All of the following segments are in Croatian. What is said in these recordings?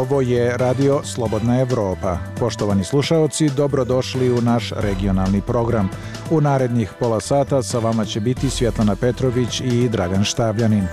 Ovo je Radio Slobodna Evropa. Poštovani slušaoci, dobrodošli u naš regionalni program. U narednih pola sata sa vama će biti Svjetlana Petrović i Dragan Štavljanin.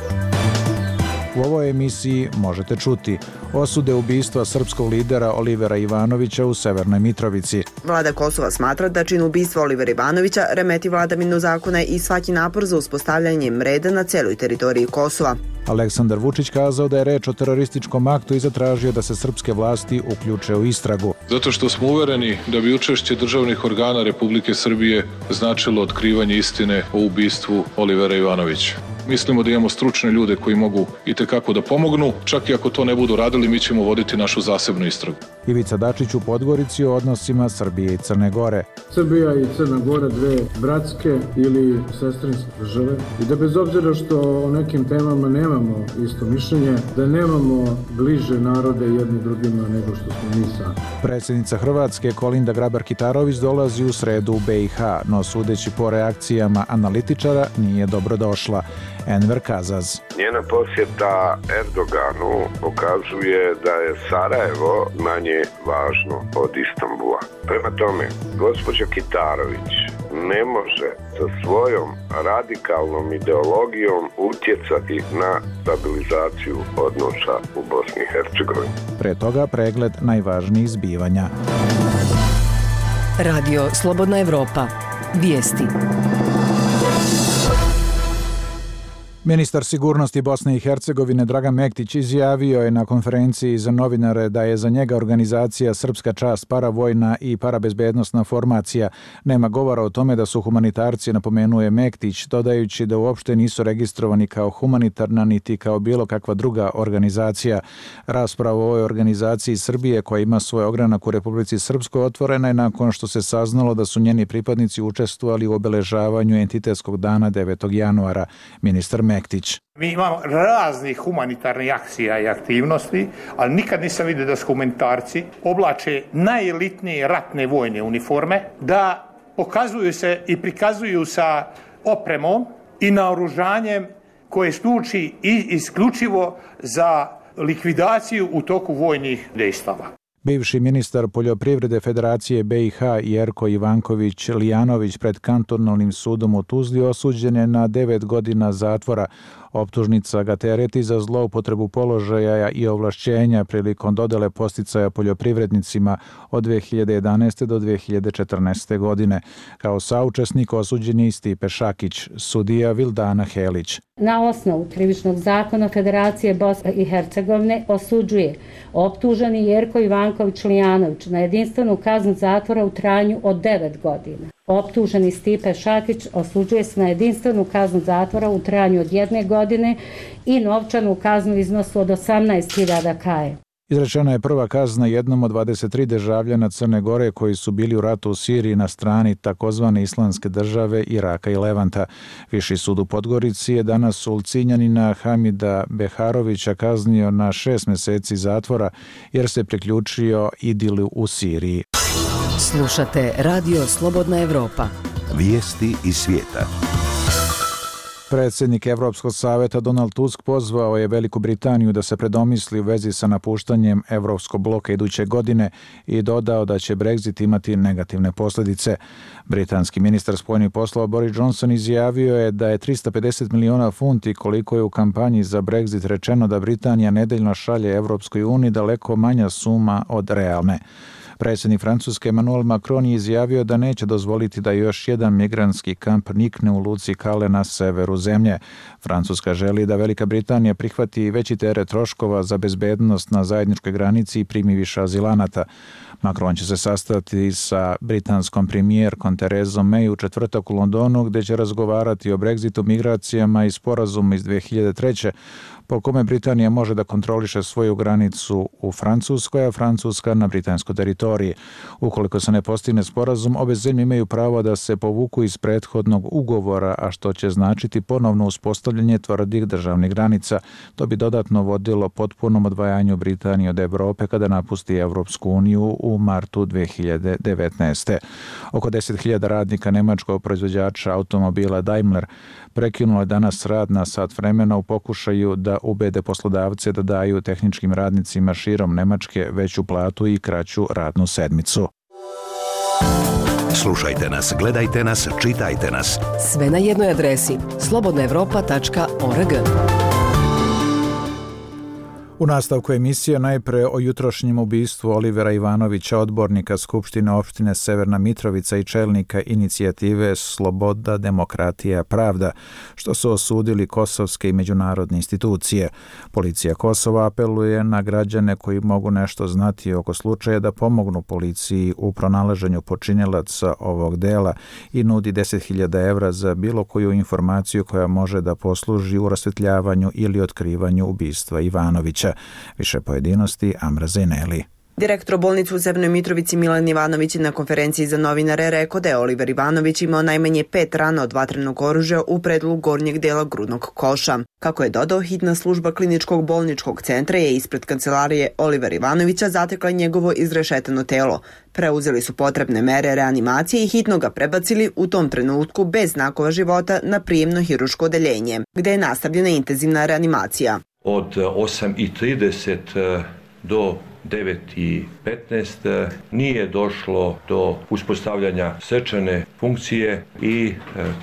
U ovoj emisiji možete čuti osude ubistva srpskog lidera Olivera Ivanovića u Severnoj Mitrovici. Vlada Kosova smatra da čin ubistva Olivera Ivanovića remeti vladavinu zakona i svaki napor za uspostavljanje reda na celoj teritoriji Kosova. Aleksandar Vučić kazao da je reč o terorističkom aktu i zatražio da se srpske vlasti uključe u istragu. Zato što smo uvereni da bi učešće državnih organa Republike Srbije značilo otkrivanje istine o ubistvu Olivera Ivanovića. Mislimo da imamo stručne ljude koji mogu itekako da pomognu, čak i ako to ne budu radili, mi ćemo voditi našu zasebnu istragu. Ivica Dačić u Podgorici o odnosima Srbije i Crne Gore. Srbija i Crna Gora dve bratske ili sestrinske države i da bez obzira što o nekim temama nemamo isto mišljenje, da nemamo bliže narode jedni drugima nego što smo mi sami. Predsjednica Hrvatske Kolinda Grabar-Kitarović dolazi u sredu u BiH, no sudeći po reakcijama analitičara nije dobrodošla. Enver Kazaz. Njena posjeta Erdoganu pokazuje da je Sarajevo manje važno od Istanbula. Prema tome, gospođa Kitarović ne može sa svojom radikalnom ideologijom utjecati na stabilizaciju odnosa u Bosni i Hercegovini. Pre toga pregled najvažnijih zbivanja. Radio Slobodna Evropa. Vijesti. Ministar sigurnosti Bosne i Hercegovine Dragan Mektić izjavio je na konferenciji za novinare da je za njega organizacija Srpska čast paravojna i parabezbednosna formacija. Nema govora o tome da su humanitarci, napomenuje Mektić, dodajući da uopšte nisu registrovani kao humanitarna niti kao bilo kakva druga organizacija. Rasprava o ovoj organizaciji Srbije, koja ima svoj ogranak u Republici Srpskoj, otvorena je nakon što se saznalo da su njeni pripadnici učestvovali u obeležavanju entitetskog dana 9. januara. Ministar Mektić. Mi imamo raznih humanitarnih akcija i aktivnosti, ali nikad nisam vidio da su humanitarci oblače najelitnije ratne vojne uniforme, da pokazuju se i prikazuju sa opremom i naoružanjem koje služi isključivo za likvidaciju u toku vojnih dejstava. Bivši ministar poljoprivrede Federacije BiH Jerko Ivanković Lijanović pred kantonalnim sudom u Tuzli osuđen je na 9 godina zatvora. Optužnica ga tereti za zloupotrebu položaja i ovlašćenja prilikom dodele podsticaja poljoprivrednicima od 2011. do 2014. godine. Kao saučesnik osuđen je i Stipe Šakić, sudija Vildana Helić. Na osnovu krivičnog zakona Federacije Bosne i Hercegovine osuđuje optuženi Jerko Ivanković Lijanović na jedinstvenu kaznu zatvora u trajanju od 9 godina. Optuženi Stipe Šakić osuđuje se na jedinstvenu kaznu zatvora u trajanju od 1 godine i novčanu kaznu u iznosu od 18.000 kaje. Izrečena je prva kazna jednom od 23 državljana Crne Gore koji su bili u ratu u Siriji na strani takozvane Islamske države, Iraka i Levanta. Viši sud u Podgorici je danas Ulcinjanina Hamida Beharovića kaznio na 6 mjeseci zatvora jer se priključio Idilu u Siriji. Slušate Radio Slobodna Evropa. Vijesti iz svijeta. Predsjednik Evropskog savjeta Donald Tusk pozvao je Veliku Britaniju da se predomisli u vezi sa napuštanjem Evropskog bloka iduće godine i dodao da će Brexit imati negativne posljedice. Britanski ministar spoljnih poslova Boris Johnson izjavio je da je 350 miliona funti, koliko je u kampanji za Brexit rečeno da Britanija nedeljno šalje Evropskoj uniji, daleko manja suma od realne. Predsjednik Francuske Emmanuel Macron je izjavio da neće dozvoliti da još jedan migrantski kamp nikne u luci Calais na severu zemlje. Francuska želi da Velika Britanija prihvati veći teret troškova za bezbednost na zajedničkoj granici i primi više azilanata. Macron će se sastati sa britanskom premijerkom Therezom May u četvrtak u Londonu, gdje će razgovarati o Brexitu, migracijama i sporazumu iz 2003. po kome Britanija može da kontroliše svoju granicu u Francuskoj, a Francuska na britansku teritoriju. teritoriji. Ukoliko se ne postigne sporazum, obe zemlje imaju pravo da se povuku iz prethodnog ugovora, a što će značiti ponovno uspostavljanje tvrdih državnih granica. To bi dodatno vodilo potpunom odvajanju Britanije od Evrope kada napusti Evropsku uniju u martu 2019. Oko 10.000 radnika nemačkog proizvođača automobila Daimler prekinulo je danas rad na sat vremena u pokušaju da ubede poslodavce da daju tehničkim radnicima širom Nemačke veću platu i kraću radnu sedmicu. Slušajte nas, gledajte nas, čitajte nas. Sve na jednoj adresi slobodnaevropa.org. U nastavku emisije najpre o jutrošnjem ubistvu Olivera Ivanovića, odbornika Skupštine opštine Severna Mitrovica i čelnika inicijative Sloboda, demokratija, pravda, što su osudili kosovske i međunarodne institucije. Policija Kosova apeluje na građane koji mogu nešto znati oko slučaja da pomognu policiji u pronalaženju počinilaca ovog dela i nudi 10.000 evra za bilo koju informaciju koja može da posluži u rasvetljavanju ili otkrivanju ubistva Ivanovića. Više pojedinosti Amra Zeneli. Direktor bolnice u Severnoj Mitrovici Milan Ivanović na konferenciji za novinare rekao da je Oliver Ivanović imao najmanje 5 rana od vatrenog oružja u predelu gornjeg dela grudnog koša. Kako je dodao, hitna služba kliničkog bolničkog centra je ispred kancelarije Olivera Ivanovića zatekla njegovo izrešetano telo. Preuzeli su potrebne mere reanimacije i hitno ga prebacili u tom trenutku bez znakova života na prijemno hiruško odeljenje, gde je nastavljena intenzivna reanimacija. Od 8:30 do 9:15 nije došlo do uspostavljanja srčane funkcije i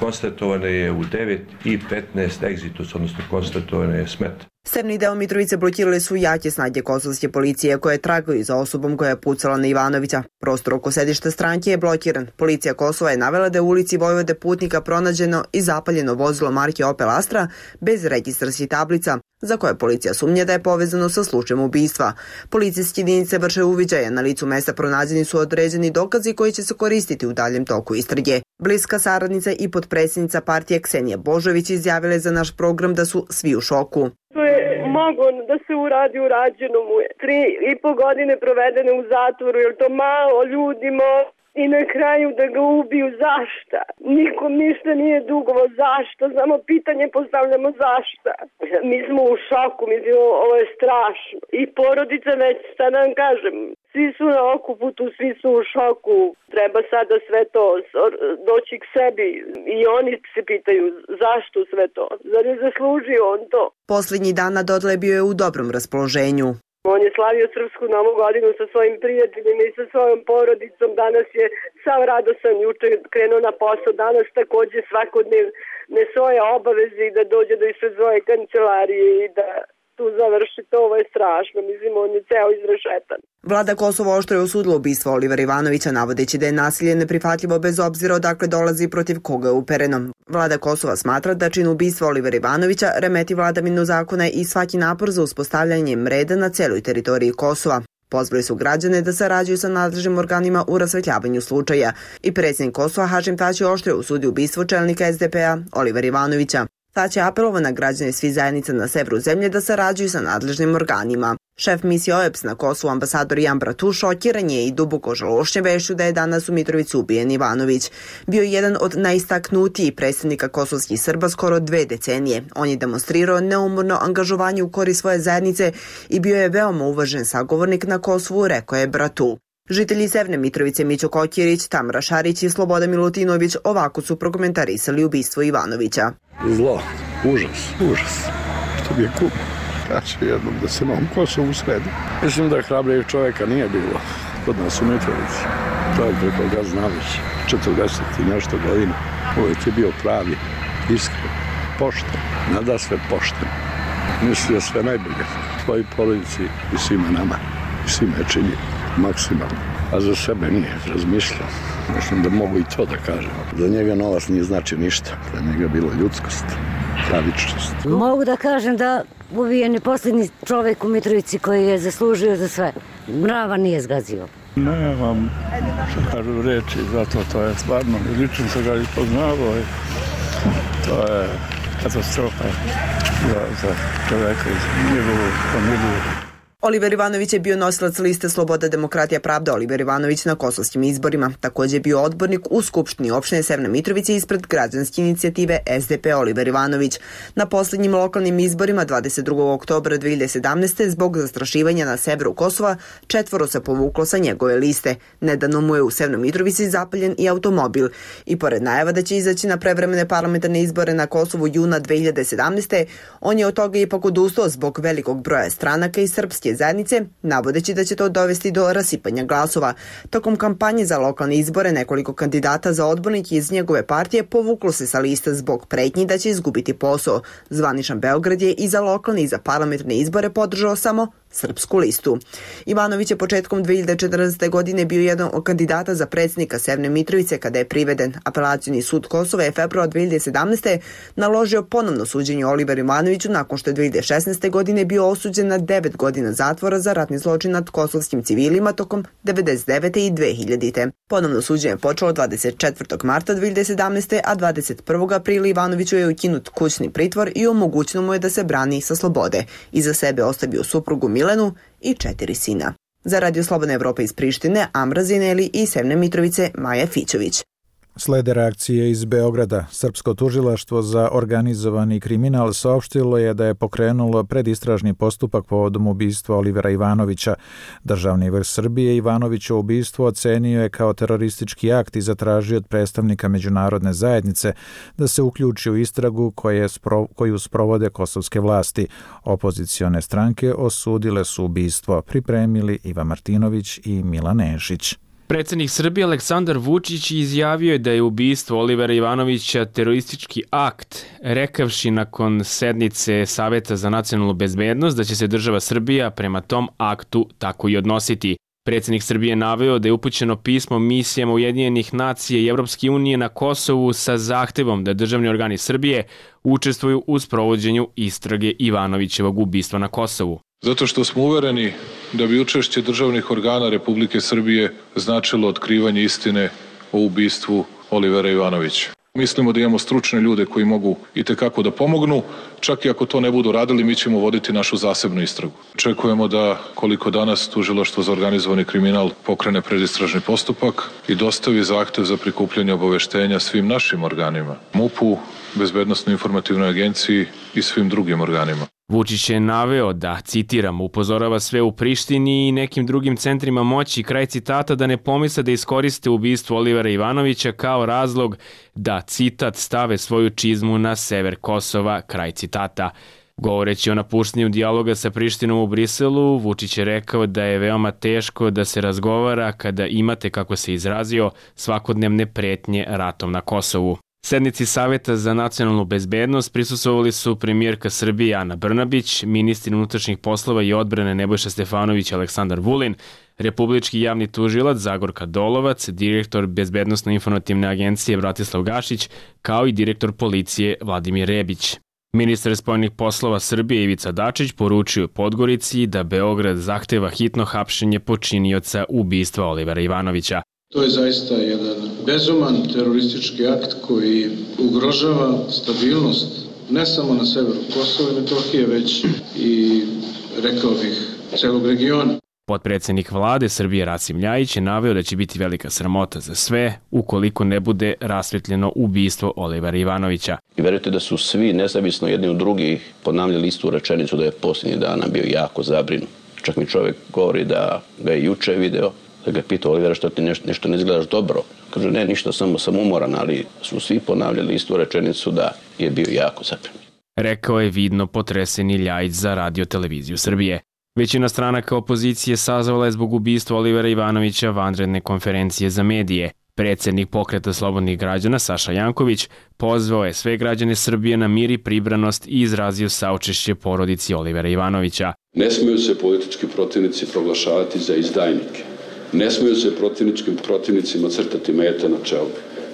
konstatovano je u 9:15 egzitus, odnosno konstatovano je smrt. Severni deo Mitrovice blokirali su jake snage kosovske policije koje tragaju za osobom koja je pucala na Ivanovića. Prostor oko sedišta stranke je blokiran. Policija Kosova je navela da je u ulici Vojvode Putnika pronađeno i zapaljeno vozilo marke Opel Astra bez registarskih tablica, za koje policija sumnja da je povezano sa slučajem ubistva. Policijske jedinice vrše uviđaje, na licu mesta pronađeni su određeni dokazi koji će se koristiti u daljem toku istrage. Bliska saradnica i potpredsjednica partije Ksenija Božović izjavila je za naš program da su svi u šoku. To je moglo da se uradi, urađeno mu je. 3,5 godine provedene u zatvoru, jer to malo ljudima i na kraju da ga ubiju. Zašta? Nikom ništa nije dugovo. Zašta? Samo pitanje postavljamo zašta. Mi smo u šoku, mislim, ovo je strašno. I porodica već, šta da vam kažem, svi su na okuputu, svi su u šoku. Treba sada sve to doći k sebi i oni se pitaju zašto sve to. Zar je zaslužio on to? Posljednji dan na Dodle bio je u dobrom raspoloženju. On je slavio srpsku novu godinu sa svojim prijateljima i sa svojom porodicom. Danas je sav radosan, juče krenuo na posao. Danas također svakodnevne svoje obaveze i da dođe do ispred svoje kancelarije i da tu završi to. Ovo je strašno. Mislim, on je ceo izrešetan. Vlada Kosova oštro je osudila ubistvo Olivera Ivanovića, navodeći da je nasilje neprihvatljivo bez obzira odakle dolazi i protiv koga je upereno. Vlada Kosova smatra da čin ubistva Olivera Ivanovića remeti vladavinu zakona i svaki napor za uspostavljanje reda na celoj teritoriji Kosova. Pozvali su građane da sarađuju sa nadležnim organima u rasvetljavanju slučaja. I predsjednik Kosova Hašim Tači oštro je osudio ubistvo čelnika SDP-a Olivera Ivanovića. Tači je apelovao na građane svih zajednica na severu zemlje da sarađuju sa nadležnim organima. Šef misije OEBS na Kosovu, ambasador Jan Bratu, šokiran je i duboko žalošćen vešću da je danas u Mitrovici ubijen Ivanović. Bio je jedan od najistaknutijih predstavnika kosovskih Srba skoro 2 decenije. On je demonstrirao neumorno angažovanje u korist svoje zajednice i bio je veoma uvažen sagovornik na Kosovu, rekao je Bratu. Žitelji Severne Mitrovice Mićo Kokirić, Tamara Šarić i Sloboda Milutinović ovako su prokomentarisali ubistvo Ivanovića. Zlo, užas, što bi je kup. Kaže jednom da se na ovom Kosovu sredi. Mislim da hrabrijeg čovjeka nije bilo kod nas u Mitrovici. Čovjek preko ga zna već 40 i nešto godina. Uvijek je bio pravi, iskren, pošten, nada sve pošten. Mislio sve najbolje svojoj porodici i svima nama. I svima je činio maksimalno. A za sebe nije razmišljao. Mislim da mogu i to da kažem. Za njega novac nije znači ništa. Za njega je bilo ljudskost, pravičnost. Mogu da kažem da ubijen je posljednji čovjek u Mitrovici koji je zaslužio za sve. Mrava nije zgazio. Nemam što kažu reći, zato to je stvarno. Lično sam ga poznavao i to je katastrofa za čovjeka iz njegovu familiju. Oliver Ivanović je bio nosilac liste Sloboda, demokratija, pravda Oliver Ivanović na kosovskim izborima. Također je bio odbornik u Skupštini opštine Severne Mitrovice ispred građanske inicijative SDP Oliver Ivanović. Na posljednjim lokalnim izborima 22. oktobra 2017. zbog zastrašivanja na severu Kosova 4 se povuklo sa njegove liste. Nedavno mu je u Severnoj Mitrovici zapaljen i automobil. I pored najava da će izaći na prevremene parlamentarne izbore na Kosovu juna 2017. on je od toga ipak odustao zbog velikog broja stranaka i srpske zajednice, navodeći da će to dovesti do rasipanja glasova. Tokom kampanje za lokalne izbore nekoliko kandidata za odbornike iz njegove partije povuklo se sa liste zbog pretnji da će izgubiti posao. Zvaničan Beograd je i za lokalne i za parlamentarne izbore podržao samo srpsku listu. Ivanović je početkom 2014. godine bio jedan od kandidata za predsjednika Severne Mitrovice kada je priveden. Apelacioni sud Kosova je februar 2017. naložio ponovno suđenje Oliveru Ivanoviću nakon što je 2016. godine bio osuđen na 9 godina zatvora za ratni zločin nad kosovskim civilima tokom 1999. i 2000. Ponovno suđenje je počelo 24. marta 2017. a 21. aprila Ivanoviću je ukinut kućni pritvor i omogućeno mu je da se brani sa slobode. Iza sebe ostavio suprugu Milenu i 4 sina. Za Radio Slobodna Evropa iz Prištine, Amra Zineli i Severne Mitrovice, Maja Fićović. Slede reakcije iz Beograda. Srpsko tužilaštvo za organizovani kriminal saopštilo je da je pokrenulo predistražni postupak povodom ubistva Olivera Ivanovića. Državni vrh Srbije Ivanovićevo ubistvo ocenio je kao teroristički akt i zatražio od predstavnika međunarodne zajednice da se uključi u istragu koju sprovode kosovske vlasti. Opozicione stranke osudile su ubistvo, pripremili Iva Martinović i Milan Nešić. Predsjednik Srbije Aleksandar Vučić izjavio je da je ubistvo Olivera Ivanovića teroristički akt, rekavši nakon sednice Saveta za nacionalnu bezbednost da će se država Srbija prema tom aktu tako i odnositi. Predsjednik Srbije naveo da je upućeno pismo misijama Ujedinjenih nacija i Evropske unije na Kosovu sa zahtevom da državni organi Srbije učestvuju u sprovođenju istrage Ivanovićevog ubistva na Kosovu. Zato što smo uvereni da bi učešće državnih organa Republike Srbije značilo otkrivanje istine o ubistvu Olivera Ivanovića. Mislimo da imamo stručne ljude koji mogu itekako da pomognu, čak i ako to ne budu radili, mi ćemo voditi našu zasebnu istragu. Očekujemo da, koliko danas Tužilaštvo za organizovani kriminal pokrene predistražni postupak i dostavi zahtev za prikupljanje obaveštenja svim našim organima, MUP-u, Bezbednosno-informativnoj agenciji i svim drugim organima. Vučić je naveo da, citiram, upozorava sve u Prištini i nekim drugim centrima moći, kraj citata, da ne pomisle da iskoriste ubistvo Olivera Ivanovića kao razlog da, citat, stave svoju čizmu na sever Kosova, kraj citata. Govoreći o napuštanju dijaloga sa Prištinom u Briselu, Vučić je rekao da je veoma teško da se razgovara kada imate, kako se izrazio, svakodnevne pretnje ratom na Kosovu. Sednici Saveta za nacionalnu bezbednost prisustvovali su premijerka Srbije Ana Brnabić, ministri unutrašnjih poslova i odbrane Nebojša Stefanović i Aleksandar Vulin, republički javni tužilac Zagorka Dolovac, direktor Bezbednosno-informativne agencije Bratislav Gašić, kao i direktor policije Vladimir Rebić. Ministar spoljnih poslova Srbije Ivica Dačić poručio u Podgorici da Beograd zahteva hitno hapšenje počinioca ubistva Olivera Ivanovića. To je zaista jedan bezuman teroristički akt koji ugrožava stabilnost ne samo na severu Kosova i Metohije, već i, rekao bih, celog regiona. Potpredsjednik vlade Srbije Rasim Ljajić je naveo da će biti velika sramota za sve ukoliko ne bude rasvetljeno ubistvo Olivera Ivanovića. I verujte da su svi, nezavisno jedni od drugih, ponavljali istu rečenicu da je posljednjih dana bio jako zabrinut. Čak mi čovjek govori da ga je juče video, da ga je pitao Olivera što ti nešto ne izgledaš dobro. Kaže ne, ništa, samo sam umoran, ali su svi ponavljali istu rečenicu da je bio jako zabrinut. Rekao je vidno potreseni Ljajić za Radio televiziju Srbije. Većina stranaka opozicije sazvala je zbog ubistva Olivera Ivanovića vanredne konferencije za medije. Predsjednik Pokreta slobodnih građana Saša Janković pozvao je sve građane Srbije na mir i pribranost i izrazio saučešće porodici Olivera Ivanovića. Ne smiju se politički protivnici proglašavati za izdajnike. Ne smiju se protivnicima crtati mete na čelu.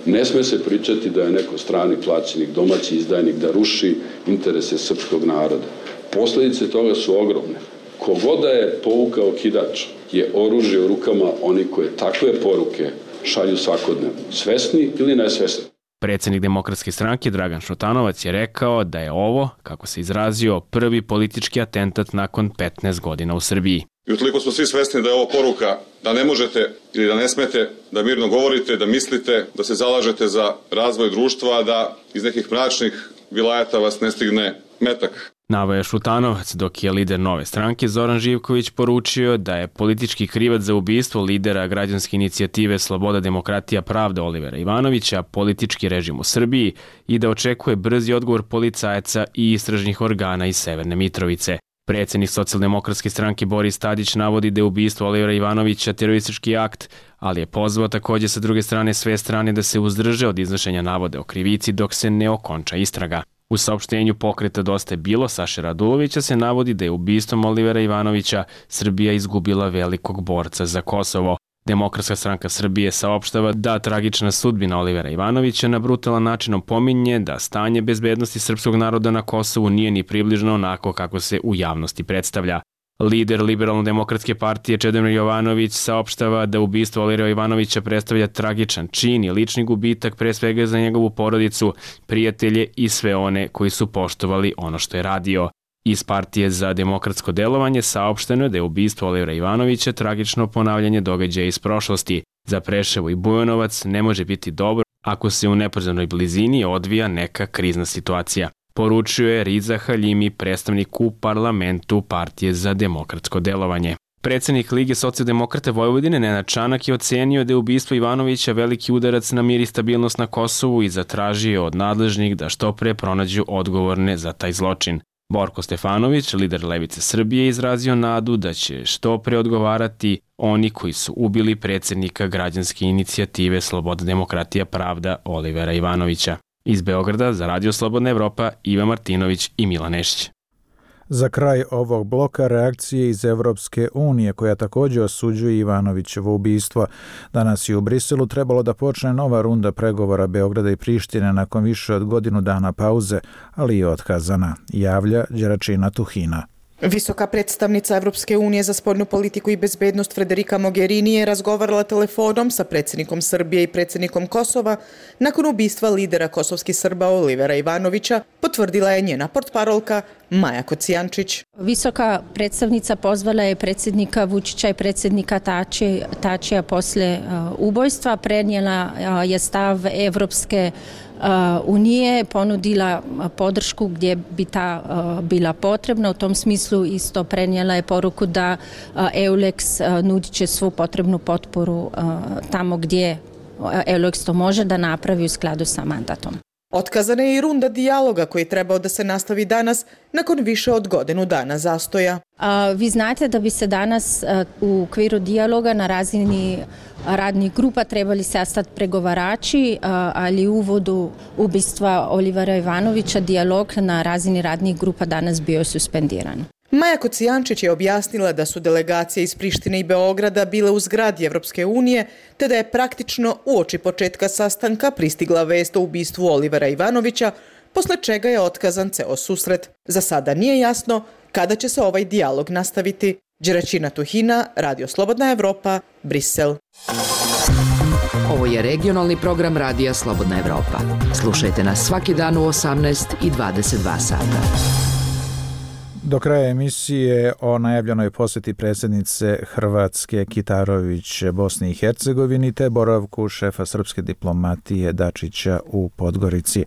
Ne smije se pričati da je neko strani plaćenik, domaći izdajnik, da ruši interese srpskog naroda. Posljedice toga su ogromne. Kogoda je povukao kidač je oružje u rukama oni koje takve poruke šalju svakodnevno, svesni ili nesvesni. Predsjednik Demokratske stranke Dragan Šutanovac je rekao da je ovo, kako se izrazio, prvi politički atentat nakon 15 godina u Srbiji. I utoliko smo svi svesni da je ovo poruka da ne možete ili da ne smete da mirno govorite, da mislite, da se zalažete za razvoj društva, da iz nekih mračnih vilajata vas ne stigne metak. Naveo je Šutanovac, dok je lider Nove stranke Zoran Živković poručio da je politički krivac za ubistvo lidera građanske inicijative Sloboda, demokratija, pravda Olivera Ivanovića politički režim u Srbiji i da očekuje brzi odgovor policajaca i istražnih organa iz Severne Mitrovice. Predsjednik Socijaldemokratske stranke Boris Tadić navodi da je ubistvo Olivera Ivanovića teroristički akt, ali je pozvao također sa druge strane sve strane da se uzdrže od iznošenja navode o krivici dok se ne okonča istraga. U saopštenju pokreta Dosta je bilo Saše Radulovića se navodi da je ubistvom Olivera Ivanovića Srbija izgubila velikog borca za Kosovo. Demokratska stranka Srbije saopštava da tragična sudbina Olivera Ivanovića na brutalan način opominje da stanje bezbednosti srpskog naroda na Kosovu nije ni približno onako kako se u javnosti predstavlja. Lider Liberalno-demokratske partije Čedomir Jovanović saopštava da ubistvo Olivera Ivanovića predstavlja tragičan čin i lični gubitak pre svega za njegovu porodicu, prijatelje i sve one koji su poštovali ono što je radio. Iz Partije za demokratsko delovanje saopšteno je da je ubistvo Olivera Ivanovića tragično ponavljanje događaja iz prošlosti. Za Preševo i Bujanovac ne može biti dobro ako se u neposrednoj blizini odvija neka krizna situacija. Poručio je Riza Haljimi, predstavnik u parlamentu Partije za demokratsko delovanje. Predsjednik Lige socijaldemokrata Vojvodine Nenad Čanak je ocenio da je ubistvo Ivanovića veliki udarac na mir i stabilnost na Kosovu i zatražio od nadležnih da što pre pronađu odgovorne za taj zločin. Borko Stefanović, lider Levice Srbije, izrazio nadu da će što pre odgovarati oni koji su ubili predsjednika građanske inicijative Sloboda, demokratija, pravda Olivera Ivanovića. Iz Beograda za Radio Slobodna Evropa Iva Martinović i Milan Nešić. Za kraj ovog bloka reakcije iz Evropske unije, koja također osuđuje Ivanovićevo ubistvo. Danas je u Briselu trebalo da počne nova runda pregovora Beograda i Prištine nakon više od godinu dana pauze, ali je otkazana, javlja Đeračina Tuhina. Visoka predstavnica Evropske unije za spoljnu politiku i bezbednost Federica Mogherini je razgovarala telefonom sa predsjednikom Srbije i predsjednikom Kosova nakon ubistva lidera kosovskih Srba Olivera Ivanovića, potvrdila je njena portparolka Maja Kocijančić. Visoka predstavnica pozvala je predsjednika Vučića i predsjednika Tačija posle ubojstva, prenijela je stav Evropske unije, ponudila podršku gdje bi ta bila potrebna. U tom smislu isto prenijela je poruku da EULEX nudit će svu potrebnu potporu tamo gdje EULEX to može da napravi u skladu sa mandatom. Otkazana je i runda dijaloga koji je trebao da se nastavi danas nakon više od godinu dana zastoja. Vi znate da bi se danas u okviru dijaloga na razini radnih grupa trebali sastati pregovarači, ali u uvodu ubistva Olivera Ivanovića dijalog na razini radnih grupa danas bio suspendiran. Maja Kocijančić je objasnila da su delegacije iz Prištine i Beograda bile u zgradi Evropske unije, te da je praktično uoči početka sastanka pristigla vest o ubistvu Olivera Ivanovića, posle čega je otkazan ceo susret. Za sada nije jasno kada će se ovaj dijalog nastaviti. Đeračina Tuhina, Radio Slobodna Evropa, Brisel. Ovo je regionalni program Radija Slobodna Evropa. Slušajte nas svaki dan u 18 i 22 sata. Do kraja emisije o najavljenoj posjeti predsjednice Hrvatske Kitarović Bosni i Hercegovini te boravku šefa srpske diplomatije Dačića u Podgorici.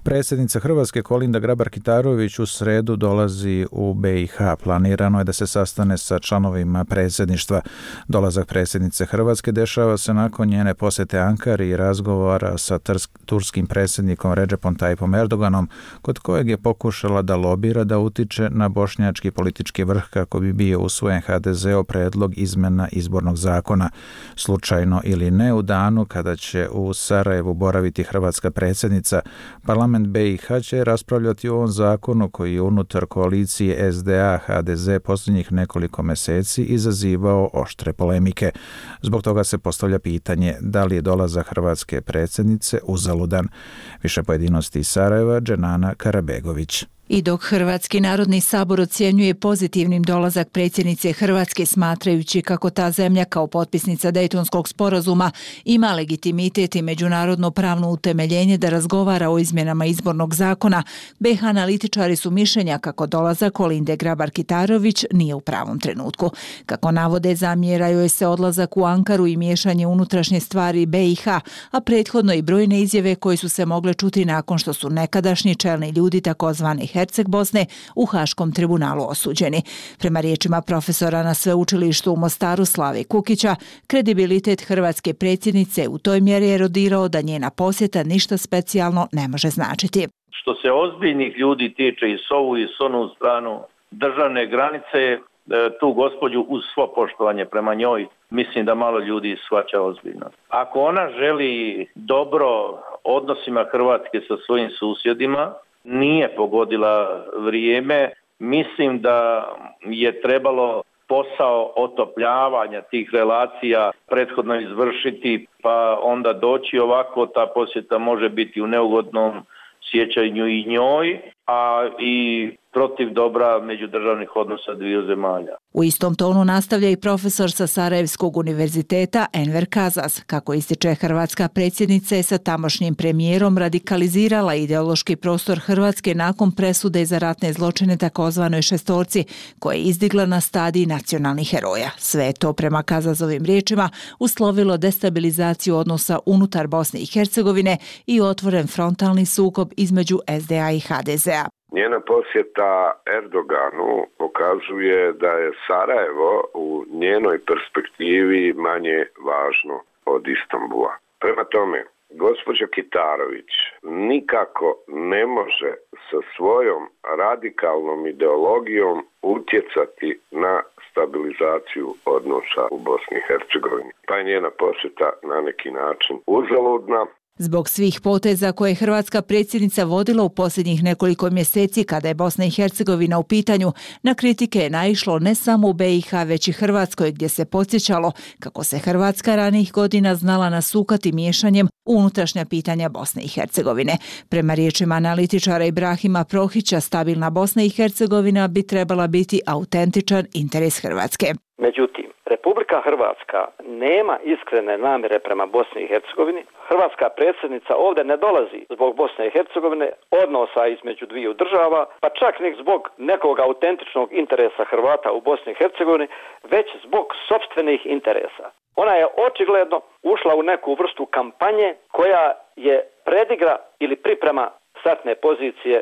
Predsjednica Hrvatske Kolinda Grabar-Kitarović u sredu dolazi u BiH. Planirano je da se sastane sa članovima predsjedništva. Dolazak predsjednice Hrvatske dešava se nakon njene posjete Ankari i razgovora sa turskim predsjednikom Recepom Tayyipom Erdoganom, kod kojeg je pokušala da lobira da utiče na bošnjački politički vrh kako bi bio usvojen HDZ-ov predlog izmena izbornog zakona. Slučajno ili ne, u danu kada će u Sarajevu boraviti hrvatska predsjednica, parlament BiH će raspravljati o ovom zakonu koji je unutar koalicije SDA-HDZ posljednjih nekoliko mjeseci izazivao oštre polemike. Zbog toga se postavlja pitanje da li je dolazak hrvatske predsjednice uzaludan. Više pojedinosti iz Sarajeva, Dženana Karabegović. I dok Hrvatski narodni sabor ocjenjuje pozitivnim dolazak predsjednice Hrvatske smatrajući kako ta zemlja kao potpisnica Dejtonskog sporazuma ima legitimitet i međunarodno pravno utemeljenje da razgovara o izmjenama izbornog zakona, BiH analitičari su mišljenja kako dolazak Kolinde Grabar-Kitarović nije u pravom trenutku. Kako navode, zamjeraju joj se odlazak u Ankaru i miješanje unutrašnje stvari BiH, a prethodno i brojne izjave koje su se mogle čuti nakon što su nekadašnji čelni ljudi takozvani Herceg Bosne u Haškom tribunalu osuđeni. Prema riječima profesora na sveučilištu u Mostaru Slave Kukića, kredibilitet hrvatske predsjednice u toj mjeri erodirao da njena posjeta ništa specijalno ne može značiti. Što se ozbiljnih ljudi tiče i s ovu i s onu stranu državne granice, tu gospođu uz svo poštovanje prema njoj, mislim da malo ljudi shvaća ozbiljno. Ako ona želi dobro odnosima Hrvatske sa svojim susjedima, nije pogodila vrijeme, mislim da je trebalo posao otopljavanja tih relacija prethodno izvršiti, pa onda doći ovako, ta posjeta može biti u neugodnom sjećanju i njoj, a i protiv dobra međudržavnih odnosa dviju zemalja. U istom tonu nastavlja i profesor sa Sarajevskog univerziteta Enver Kazas. Kako ističe, hrvatska predsjednica je sa tamošnjim premijerom radikalizirala ideološki prostor Hrvatske nakon presude za ratne zločine takozvanoj šestorci, koje je izdigla na stadij nacionalnih heroja. Sve je to, prema Kazazovim riječima, uslovilo destabilizaciju odnosa unutar Bosne i Hercegovine i otvoren frontalni sukob između SDA i HDZ-a. Njena posjeta Erdoganu pokazuje da je Sarajevo u njenoj perspektivi manje važno od Istanbula. Prema tome, gospođa Kitarović nikako ne može sa svojom radikalnom ideologijom utjecati na stabilizaciju odnosa u Bosni i Hercegovini. Pa je njena posjeta na neki način uzaludna. Zbog svih poteza koje je hrvatska predsjednica vodila u posljednjih nekoliko mjeseci kada je Bosna i Hercegovina u pitanju, na kritike je naišlo ne samo u BiH već i Hrvatskoj, gdje se podsjećalo kako se Hrvatska ranijih godina znala nasukati miješanjem u unutrašnja pitanja Bosne i Hercegovine. Prema riječima analitičara Ibrahima Prohića, stabilna Bosna i Hercegovina bi trebala biti autentičan interes Hrvatske. Međutim, Republika Hrvatska nema iskrene namjere prema Bosni i Hercegovini. Hrvatska predsjednica ovdje ne dolazi zbog Bosne i Hercegovine, odnosa između dviju država, pa čak ni zbog nekog autentičnog interesa Hrvata u Bosni i Hercegovini, već zbog sopstvenih interesa. Ona je očigledno ušla u neku vrstu kampanje koja je predigra ili priprema startne pozicije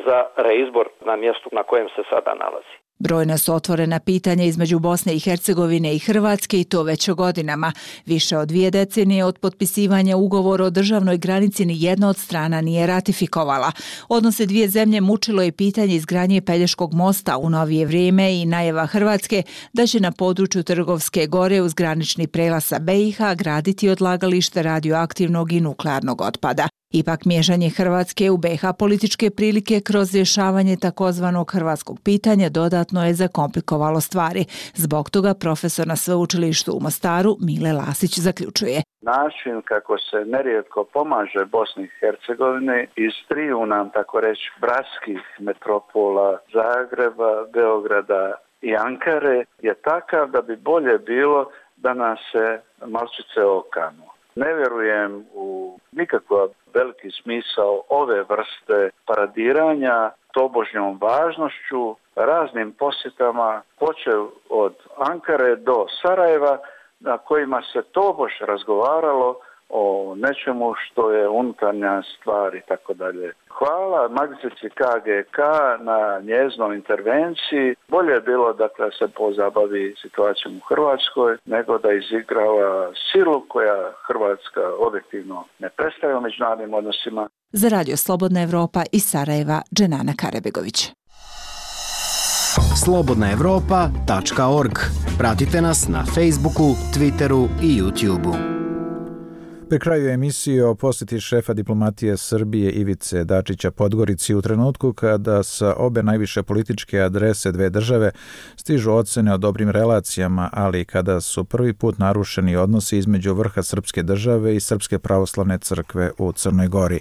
za reizbor na mjestu na kojem se sada nalazi. Brojna su otvorena pitanja između Bosne i Hercegovine i Hrvatske i to već godinama. Više od 2 decenije od potpisivanja ugovora o državnoj granici ni jedna od strana nije ratifikovala. Odnose dvije zemlje mučilo je pitanje izgradnje Pelješkog mosta u novije vrijeme i najava Hrvatske da će na području Trgovske gore uz granični prelaz sa BiH graditi odlagalište radioaktivnog i nuklearnog otpada. Ipak miješanje Hrvatske u BiH političke prilike kroz rješavanje takozvanog hrvatskog pitanja dodatno je zakomplikovalo stvari. Zbog toga profesor na sveučilištu u Mostaru Mile Lasić zaključuje. Način kako se nerijetko pomaže Bosni i Hercegovini iz triju nam, tako reći, bratskih metropola Zagreba, Beograda i Ankare je takav da bi bolje bilo da nas se malčice okanu. Ne vjerujem u nikakav veliki smisao ove vrste paradiranja tobožnjom važnošću, raznim posjetama, počev od Ankare do Sarajeva, na kojima se tobož razgovaralo o nečemu što je unutarnja stvar i tako dalje. Hvala magistrici KGK na njezinom intervenciji. Bolje je bilo da se pozabavi situacijom u Hrvatskoj nego da izigrava silu koja Hrvatska objektivno ne predstavlja u međunarodnim odnosima. Za Radio Slobodna Evropa iz Sarajeva, Dženana Karebegović. slobodnaevropa.org. Pratite nas na Facebooku, Twitteru i YouTubeu. Pri kraju emisije o posjeti šefa diplomatije Srbije Ivice Dačića Podgorici u trenutku kada sa obe najviše političke adrese dve države stižu ocene o dobrim relacijama, ali kada su prvi put narušeni odnosi između vrha srpske države i Srpske pravoslavne crkve u Crnoj Gori.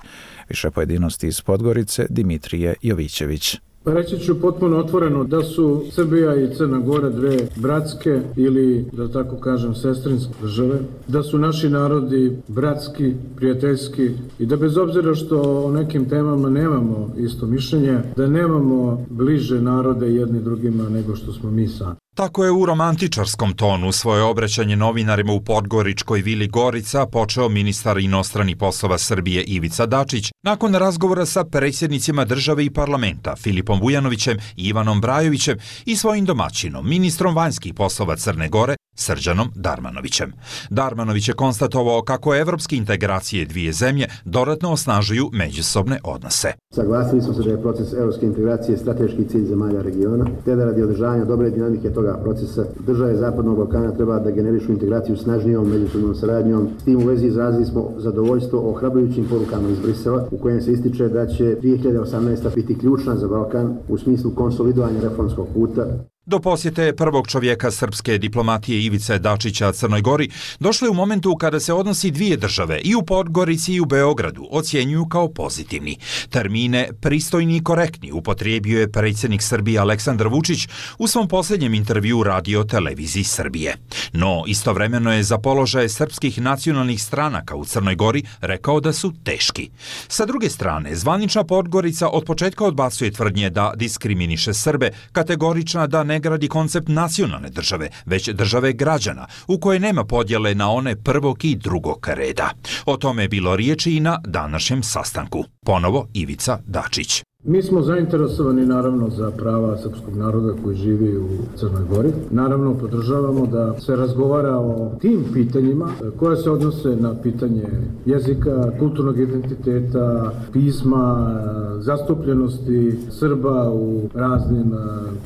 Više pojedinosti iz Podgorice, Dimitrije Jovićević. Reći ću potpuno otvoreno da su Srbija i Crna Gora dve bratske ili, da tako kažem, sestrinske države, da su naši narodi bratski, prijateljski i da bez obzira što o nekim temama nemamo isto mišljenje, da nemamo bliže narode jedni drugima nego što smo mi sami. Tako je u romantičarskom tonu svoje obraćanje novinarima u podgoričkoj vili Gorica počeo ministar inostranih poslova Srbije Ivica Dačić nakon razgovora sa predsjednicima države i parlamenta Filipom Vujanovićem i Ivanom Brajovićem i svojim domaćinom, ministrom vanjskih poslova Crne Gore, Srđanom Darmanovićem. Darmanović je konstatovao kako evropske integracije dvije zemlje dodatno osnažuju međusobne odnose. Saglasili smo se da je proces evropske integracije strateški cilj zemalja regiona, te da radi održavanja dobre dinamike toga procesa države Zapadnog Balkana treba da generišu integraciju snažnijom međusobnom saradnjom. S tim u vezi izrazili smo zadovoljstvo ohrabrujućim porukama iz Brisela u kojem se ističe da će 2018. biti ključna za Balkan u smislu konsolidovanja reformskog puta. Do posjete prvog čovjeka srpske diplomatije Ivice Dačića Crnoj Gori došlo je u momentu kada se odnosi dvije države i u Podgorici i u Beogradu ocjenjuju kao pozitivni. Termine pristojni i korektni upotrijebio je predsjednik Srbije Aleksandar Vučić u svom posljednjem intervjuu Radio televiziji Srbije. No, istovremeno je za položaje srpskih nacionalnih stranaka u Crnoj Gori rekao da su teški. Sa druge strane, zvanična Podgorica od početka odbacuje tvrdnje da diskriminiše Srbe, kategorična da ne gradi koncept nacionalne države, već države građana, u kojoj nema podjele na one prvog i drugog reda. O tome je bilo riječi i na današnjem sastanku. Ponovo Ivica Dačić. Mi smo zainteresovani naravno za prava srpskog naroda koji živi u Crnoj Gori. Naravno podržavamo da se razgovara o tim pitanjima koje se odnose na pitanje jezika, kulturnog identiteta, pisma, zastupljenosti Srba u raznim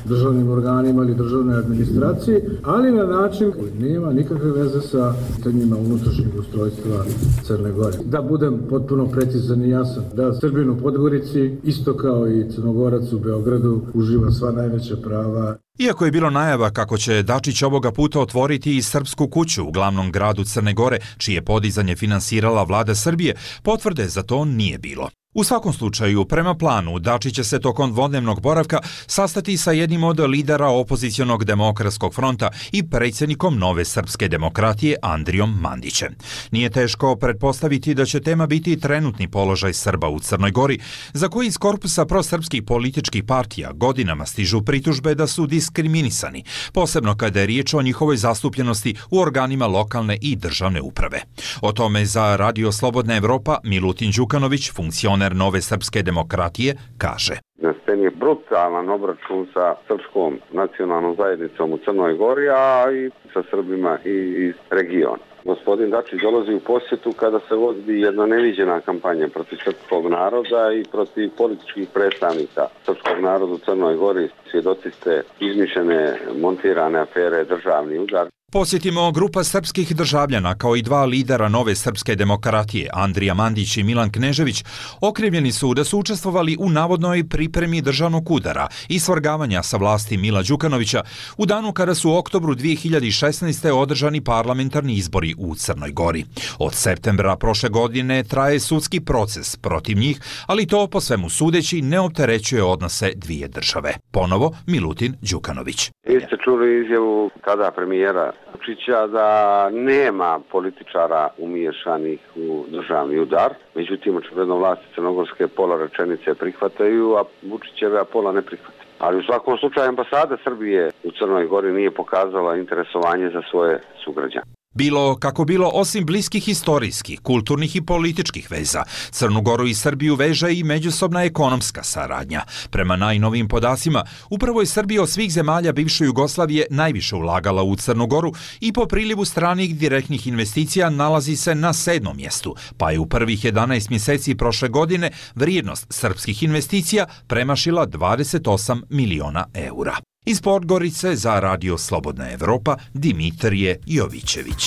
državnim organima ili državnoj administraciji, ali na način koji nema nikakve veze sa pitanjima unutrašnjeg ustrojstva Crne Gore. Da budem potpuno precizan i jasan, da Srbin u Podgorici isto kao i Crnogorac u Beogradu uživa sva najveća prava. Iako je bilo najava kako će Dačić ovoga puta otvoriti i Srpsku kuću u glavnom gradu Crne Gore, čije podizanje finansirala vlada Srbije, potvrde za to nije bilo. U svakom slučaju, prema planu, Dačić će se tokom dvodnevnog boravka sastati sa jednim od lidera opozicionog demokratskog fronta i predsjednikom Nove srpske demokratije Andrijom Mandićem. Nije teško pretpostaviti da će tema biti trenutni položaj Srba u Crnoj Gori, za koji iz korpusa prosrpskih političkih partija godinama stižu pritužbe da su diskriminisani, posebno kada je riječ o njihovoj zastupljenosti u organima lokalne i državne uprave. O tome za Radio Slobodna Evropa Milutin Đukanović, funkcioner Nove srpske demokratije, kaže. Na sceni je brutalan obračun sa srpskom nacionalnom zajednicom u Crnoj Gori, a i sa Srbima iz regiona. Gospodin Dačić dolazi u posjetu kada se vodi jedna neviđena kampanja protiv srpskog naroda i protiv političkih predstavnika srpskog naroda u Crnoj Gori. Svjedoci ste izmišljene, montirane afere, državni udar. Posjetimo grupa srpskih državljana kao i dva lidera Nove srpske demokratije, Andrija Mandić i Milan Knežević, okrivljeni su da su učestvovali u navodnoj pripremi državnog udara i svrgavanja sa vlasti Mila Đukanovića u danu kada su u oktobru 2016. održani parlamentarni izbori u Crnoj Gori. Od septembra prošle godine traje sudski proces protiv njih, ali to po svemu sudeći ne opterećuje odnose dvije države. Ponovo Milutin Đukanović. Vi ste čuli izjavu tada premijera Vučića da nema političara umiješanih u državni udar. Međutim, očigledno vlasti crnogorske pola rečenice prihvataju, a Vučićeve pola ne prihvataju. Ali u svakom slučaju ambasada Srbije u Crnoj Gori nije pokazala interesovanje za svoje sugrađane. Bilo kako bilo, osim bliskih historijskih, kulturnih i političkih veza, Crnu Goru i Srbiju veže i međusobna ekonomska saradnja. Prema najnovijim podacima, upravo je Srbija od svih zemalja bivše Jugoslavije najviše ulagala u Crnu Goru i po prilivu stranih direktnih investicija nalazi se na 7. mjestu, pa je u prvih 11 mjeseci prošle godine vrijednost srpskih investicija premašila 28 miliona eura. Iz Podgorice za Radio Slobodna Evropa Dimitrije Jovićević.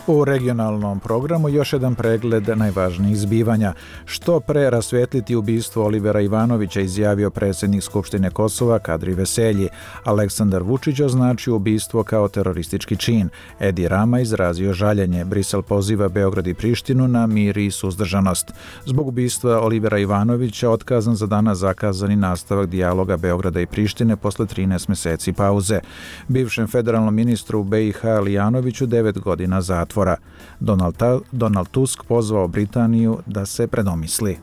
U regionalnom programu još jedan pregled najvažnijih zbivanja. Što pre rasvetliti ubistvo Olivera Ivanovića, izjavio predsjednik Skupštine Kosova Kadri Veselji. Aleksandar Vučić označio ubistvo kao teroristički čin. Edi Rama izrazio žaljenje. Brisel poziva Beograd i Prištinu na mir i suzdržanost. Zbog ubistva Olivera Ivanovića otkazan za danas zakazani nastavak dijaloga Beograda i Prištine posle 13 meseci pauze. Bivšem federalnom ministru BiH Lijanoviću 9 godina zatvora. Donald Tusk pozvao Britaniju da se predomisli.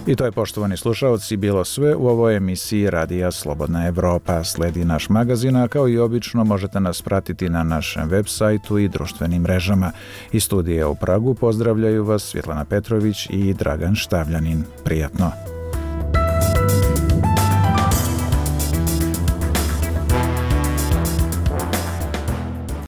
I to je, poštovani slušaoci, bilo sve u ovoj emisiji Radija Slobodna Evropa. Sledi naš magazin, a kao i obično možete nas pratiti na našem web sajtu i društvenim mrežama. Iz studija u Pragu pozdravljaju vas Svjetlana Petrović i Dragan Štavljanin. Prijatno!